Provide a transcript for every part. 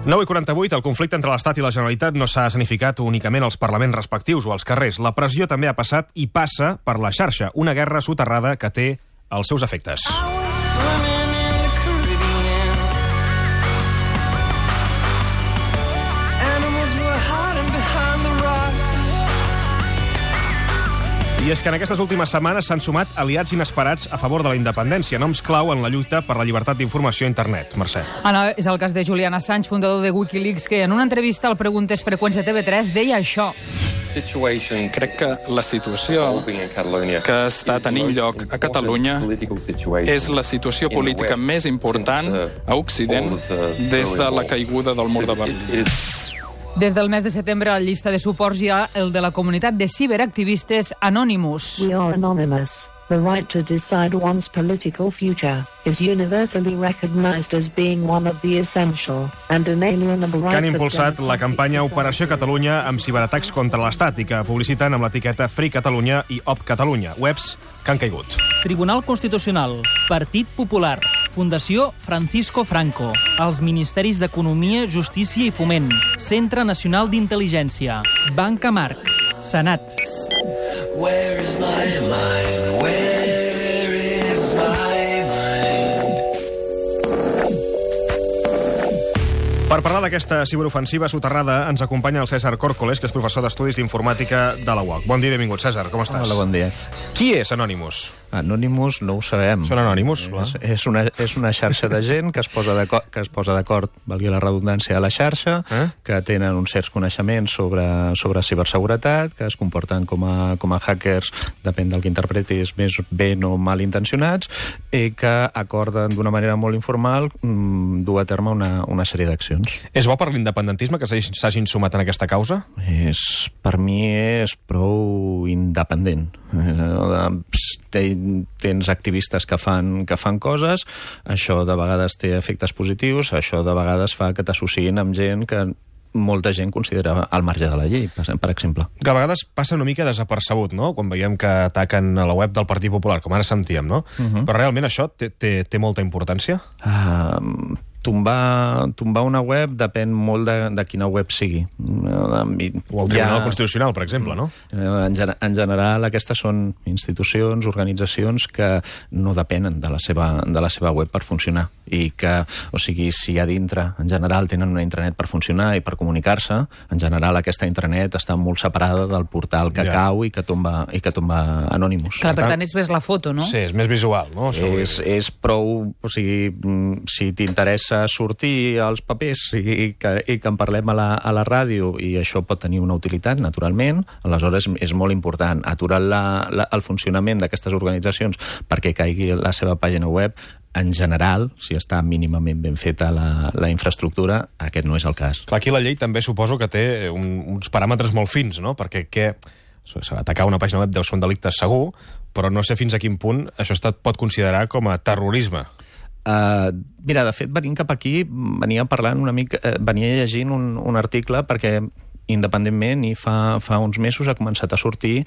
9:48, el conflicte entre l'Estat i la Generalitat no s'ha escenificat únicament als parlaments respectius o als carrers. La pressió també ha passat i passa per la xarxa, una guerra soterrada que té els seus efectes. I és que en aquestes últimes setmanes s'han sumat aliats inesperats a favor de la independència, noms clau en la lluita per la llibertat d'informació a internet. Mercè. Ana, és el cas de Julian Assange, fundador de Wikileaks, que en una entrevista al Preguntes Freqüents de TV3 deia això. Crec que la situació que està tenint lloc a Catalunya és la situació política més important a Occident des de la caiguda del mur de Berlín. Des del mes de setembre, a la llista de suports hi ha el de la comunitat de ciberactivistes Anonymous. We are anonymous. The right to decide one's political future is universally recognized as being one of the essential and inalienable rights. Que han impulsat la campanya Operació Catalunya amb ciberatacs contra l'Estat i que publiciten amb l'etiqueta Free Catalunya i Op Catalunya, webs que han caigut. Tribunal Constitucional, Partit Popular, Fundació Francisco Franco, els Ministeris d'Economia, Justícia i Foment, Centre Nacional d'Intel·ligència, Banca Marc, Senat. Where is my mind? Where is my mind? Per parlar d'aquesta ciberofensiva soterrada ens acompanya el César Córcoles, que és professor d'Estudis d'Informàtica de la UOC. Bon dia i benvingut, César. Com estàs? Hola, bon dia. Qui és Anonymous? Anonymous no ho sabem. Són anònimus, clar. És una xarxa de gent que es posa d'acord, valgui la redundància, a la xarxa, que tenen uns certs coneixements sobre ciberseguretat, que es comporten com a hackers, depèn del que interpretis, més ben o mal intencionats, i que acorden d'una manera molt informal dur a terme una sèrie d'accions. És bo per l'independentisme que s'hagin sumat en aquesta causa? Per mi és prou independent. Tens activistes que fan coses, això de vegades té efectes positius, això de vegades fa que t'associïn amb gent que molta gent considera al marge de la llei, per exemple. Que a vegades passa una mica desapercebut, no?, quan veiem que ataquen a la web del Partit Popular, com ara sentíem, no? Però realment això té molta importància? Tombar una web depèn molt de quina web sigui. O el Tribunal Constitucional, per exemple, no? En general, aquestes són institucions, organitzacions que no depenen de la seva web per funcionar. I que, o sigui, si a dintre, en general, tenen una intranet per funcionar i per comunicar-se, en general aquesta intranet està molt separada del portal que cau i que tomba Anonymous. Clar, per tant, ets més la foto, no? Sí, és més visual, no? És prou... O sigui, si t'interessa sortir als papers i que en parlem a la ràdio, i això pot tenir una utilitat, naturalment, aleshores és molt important aturar el funcionament d'aquestes organitzacions perquè caigui la seva pàgina web. En general, si està mínimament ben feta la infraestructura, aquest no és el cas. Clar, aquí la llei també suposo que té uns paràmetres molt fins, no? Perquè atacar una pàgina web deu ser un delicte segur, però no sé fins a quin punt això es pot considerar com a terrorisme. Mira, de fet, venint cap aquí, venia llegint un article perquè independentment i fa uns mesos ha començat a sortir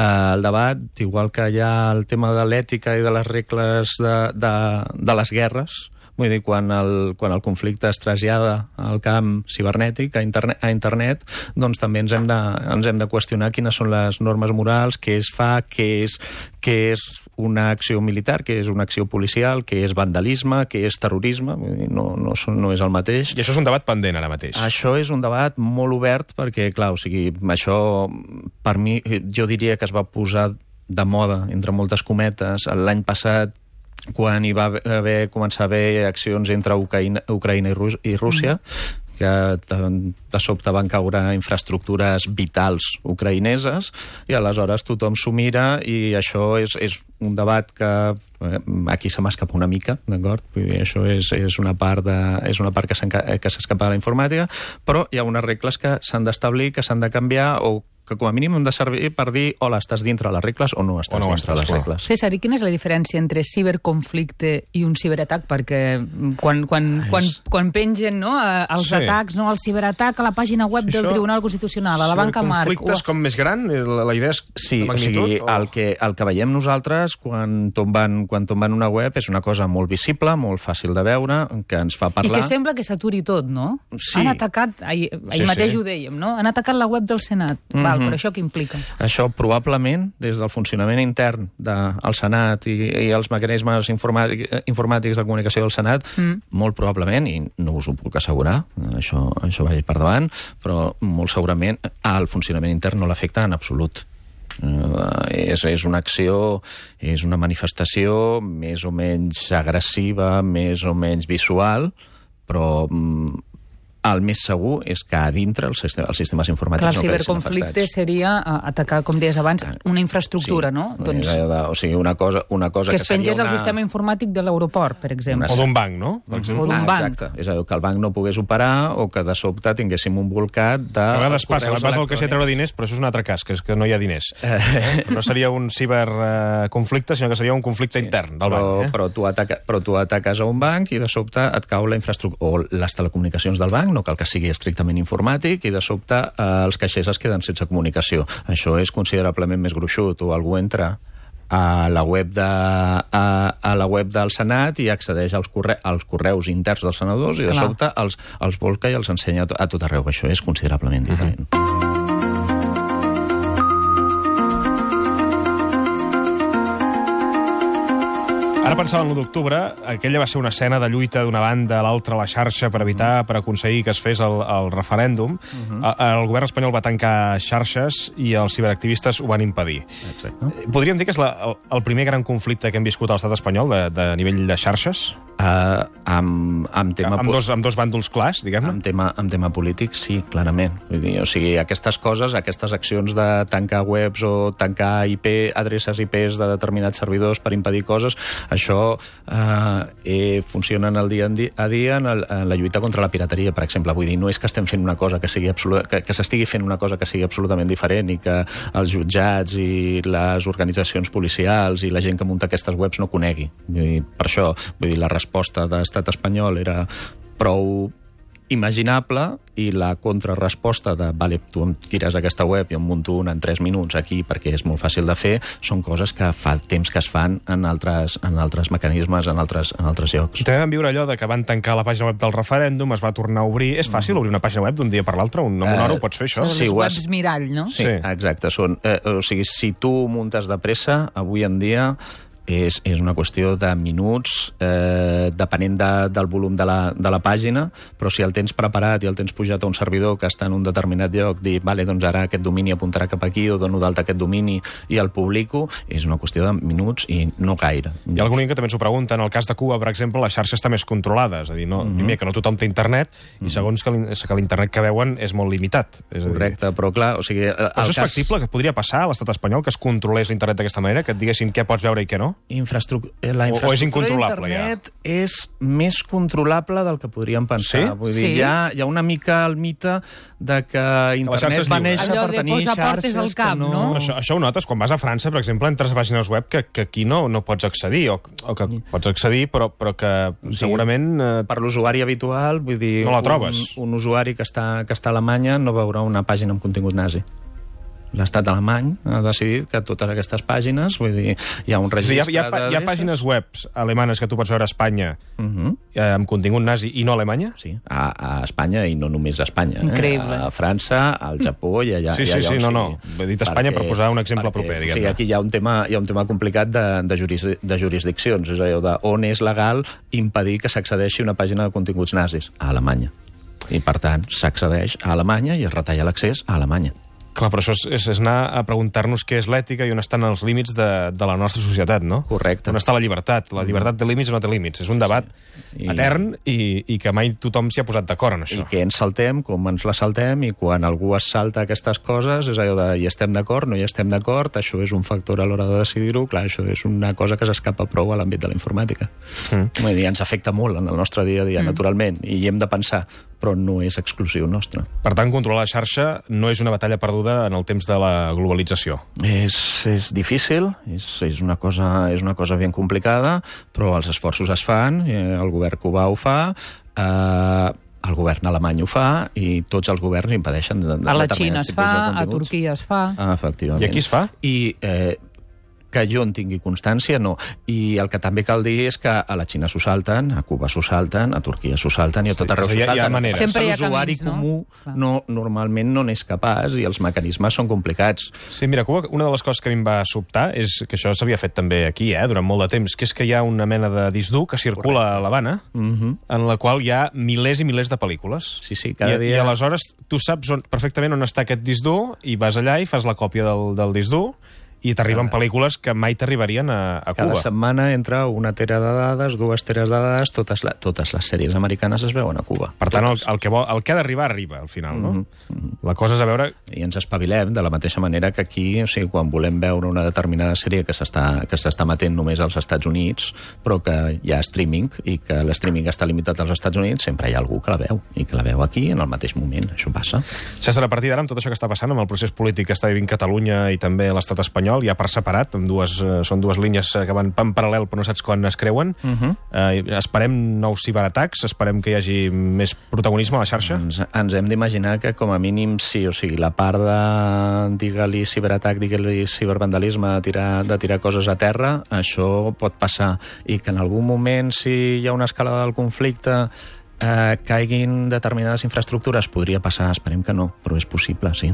el debat, igual que hi ha el tema de l'ètica i de les regles de les guerres. Vull dir, quan el conflicte es trasllada al camp cibernètic, a internet, doncs també ens hem de qüestionar quines són les normes morals, què es fa, què és una acció militar, què és una acció policial, què és vandalisme, què és terrorisme. Vull dir, no és el mateix. I això és un debat pendent ara mateix. Això és un debat molt obert perquè, clar, o sigui, això per mi, jo diria que es va posar de moda, entre moltes cometes, l'any passat, quan hi va començar a haver accions entre Ucraïna i Rússia, que de sobte van caure infraestructures vitals ucraïneses, i aleshores tothom s'ho mira, i això és un debat que aquí se m'escapa una mica, d'acord? Això és una part que s'escapa de la informàtica, però hi ha unes regles que s'han d'establir, que s'han de canviar, o que com a mínim hem de servir per dir hola, estàs dintre les regles o no estàs dintre les regles. César, i quina és la diferència entre ciberconflicte i un ciberatac? Perquè quan pengen els atacs, el ciberatac a la pàgina web del Tribunal Constitucional, a la Banca Marc... Ciberconflicte és com més gran? La idea és sí, de magnitud? El que veiem nosaltres quan tomben una web és una cosa molt visible, molt fàcil de veure, que ens fa parlar... I que sembla que s'aturi tot, no? Sí. Han atacat, ahir mateix ho dèiem, no? Han atacat la web del Senat. Val, però això què implica? Això probablement, des del funcionament intern del Senat i els mecanismes informàtics de comunicació del Senat, molt probablement, i no us ho puc assegurar, això vagi per davant, però molt segurament el funcionament intern no l'afecta en absolut. És una acció, és una manifestació més o menys agressiva, més o menys visual, però el més segur és que a dintre els sistemes informàtics no quedin afectats. El ciberconflicte seria atacar, com deies abans, una infraestructura, no? O sigui, una cosa que es pengés al sistema informàtic de l'aeroport, per exemple. O d'un banc, no? O d'un banc. Exacte. És a dir, que el banc no pogués operar o que de sobte tinguéssim un volcat de... A vegades passa, vas al caixer a treure diners, però això és un altre cas, que és que no hi ha diners. No seria un ciberconflicte, sinó que seria un conflicte intern del banc. Però tu ataques a un banc i de sobte et cau la infraestructura o les telecomunicacions del banc, no cal que sigui estrictament informàtic, i de sobte els caixers es queden sense comunicació. Això és considerablement més gruixut. O algú entra a la web del Senat i accedeix als correus interns dels senadors i de sobte els volca i els ensenya a tot arreu. Això és considerablement diferent. Ara pensava en l'1 d'octubre, aquella va ser una escena de lluita d'una banda a l'altra a la xarxa per aconseguir que es fes el referèndum. El govern espanyol va tancar xarxes i els ciberactivistes ho van impedir. Exacte. Podríem dir que és el primer gran conflicte que hem viscut a l'estat espanyol de nivell de xarxes? Amb dos bàndols clars, diguem-ne? Amb tema polític, sí, clarament. Vull dir, o sigui, aquestes coses, aquestes accions de tancar webs o tancar adreces IPs de determinats servidors per impedir coses, això funciona en el dia a dia en la lluita contra la pirateria, per exemple. Vull dir, no és que estem fent una cosa que s'estigui fent una cosa que sigui absolutament diferent i que els jutjats i les organitzacions policials i la gent que munta aquestes webs no conegui. Per això, vull dir, la resposta de l'estat espanyol era prou imaginable i la contrarresposta de vale, tu em tires aquesta web i em munto una en 3 minuts aquí perquè és molt fàcil de fer, són coses que fa temps que es fan en altres mecanismes, en altres llocs. També vam viure allò de que van tancar la pàgina web del referèndum, es va tornar a obrir. És fàcil obrir una pàgina web d'un dia per l'altre? Amb una hora ho pots fer, això? Les webs mirall, no? Sí, exacte. O sigui, si tu muntes de pressa, avui en dia és una qüestió de minuts, depenent del volum de la pàgina, però si el tens preparat i el tens pujat a un servidor que està en un determinat lloc, dir, vale, doncs ara aquest domini apuntarà cap aquí o dono d'alta aquest domini i el publico, és una qüestió de minuts i no gaire. Hi ha algun que també ens ho pregunta. En el cas de Cuba, per exemple, la xarxa està més controlada, és a dir, primer que no tothom té internet i segons que l'internet que veuen és molt limitat. Correcte, però clar, o sigui... Però això és factible, que podria passar a l'estat espanyol, que es controlés l'internet d'aquesta manera, que et diguessin què pots veure i què no? La infraestructura d'internet és més controlable del que podríem pensar. Sí? Vull dir, hi ha una mica el mite de que internet va néixer per tenir xarxes al cap, no? Això ho notes. Quan vas a França, per exemple, entres a pàgines web que aquí no pots accedir, o que pots accedir, però que segurament... Per l'usuari habitual, vull dir... No la trobes. Un usuari que està a Alemanya no veurà una pàgina amb contingut nazi. L'estat alemany ha decidit que totes aquestes pàgines, vull dir, hi ha un registre hi ha pàgines web alemanes que tu pots veure a Espanya amb contingut nazi i no a Alemanya? Sí, a Espanya i no només a Espanya. Increïble. A França, al Japó i allà... Sí, he dit Espanya per posar un exemple proper, diguem-ne. O sigui, aquí hi ha un tema complicat de jurisdiccions, és allò on és legal impedir que s'accedeixi a una pàgina de continguts nazis? A Alemanya. I, per tant, s'accedeix a Alemanya i es retalla l'accés a Alemanya. Clar, però això és anar a preguntar-nos què és l'ètica i on estan els límits de la nostra societat, no? Correcte. On està la llibertat? La llibertat té límits o no té límits? És un debat etern i que mai tothom s'hi ha posat d'acord en això. I què ens saltem, com ens la saltem, i quan algú es salta aquestes coses és allò de hi estem d'acord, no hi estem d'acord, això és un factor a l'hora de decidir-ho, clar, això és una cosa que s'escapa prou a l'àmbit de la informàtica. Vull dir, ens afecta molt en el nostre dia a dia, naturalment, i hi hem de pensar però no és exclusiu nostre. Per tant, controlar la xarxa no és una batalla perduda en el temps de la globalització. És difícil, és una cosa ben complicada, però els esforços es fan, el govern cubà ho fa, el govern alemany ho fa i tots els governs impedeixen a la Xina es fa, a Turquia es fa. Efectivament. I aquí es fa? I que jo en tingui constància, no. I el que també cal dir és que a la Xina s'ho salten, a Cuba s'ho salten, a Turquia s'ho salten i a tot arreu s'ho salten. Hi ha maneres. Sempre hi ha l'usuari camins, comú normalment no n'és capaç i els mecanismes són complicats. Sí, mira, Cuba, una de les coses que a mi em va sobtar és que això s'havia fet també aquí, durant molt de temps, que és que hi ha una mena de disc dur que circula a l'Havana, en la qual hi ha milers i milers de pel·lícules. Sí, cada dia... I aleshores tu saps perfectament on està aquest disc dur i vas allà i fas la còpia del disc dur i t'arriben pel·lícules que mai t'arribarien a Cuba. Cada setmana entra una tera de dades, 2 teres de dades, totes les sèries americanes es veuen a Cuba. Per tant, el que ha d'arribar, arriba, al final, no? La cosa és a veure... I ens espavilem de la mateixa manera que aquí, o sigui, quan volem veure una determinada sèrie que s'està emetent només als Estats Units, però que hi ha streaming, i que l'streaming està limitat als Estats Units, sempre hi ha algú que la veu, i que la veu aquí en el mateix moment. Això passa. César, a partir d'ara, amb tot això que està passant, amb el procés polític que està vivint Catalunya i també l'estat espanyol, ja per separat, són dues línies que van en paral·lel però no saps quan es creuen. Esperem nous ciberatacs, esperem que hi hagi més protagonisme a la xarxa. Ens hem d'imaginar que com a mínim sí, o sigui, la part de digue-li ciberatac, digue-li cibervandalisme, de tirar coses a terra, això pot passar, i que en algun moment, si hi ha una escalada del conflicte, caiguin determinades infraestructures, podria passar, esperem que no, però és possible, sí.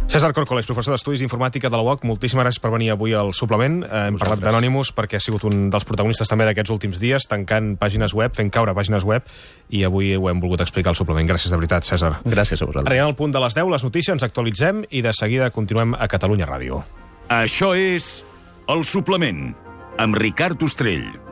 César Córcoles, professor d'Estudis d'Informàtica de la UOC, moltíssimes gràcies per venir avui al suplement. Hem parlat d'Anonymous perquè ha sigut un dels protagonistes també d'aquests últims dies, tancant pàgines web, fent caure pàgines web, i avui ho hem volgut explicar al suplement. Gràcies de veritat, César. Gràcies a vosaltres. Arribem al punt de les 10, les notícies, ens actualitzem i de seguida continuem a Catalunya Ràdio. Això és El Suplement, amb Ricard Ostrell.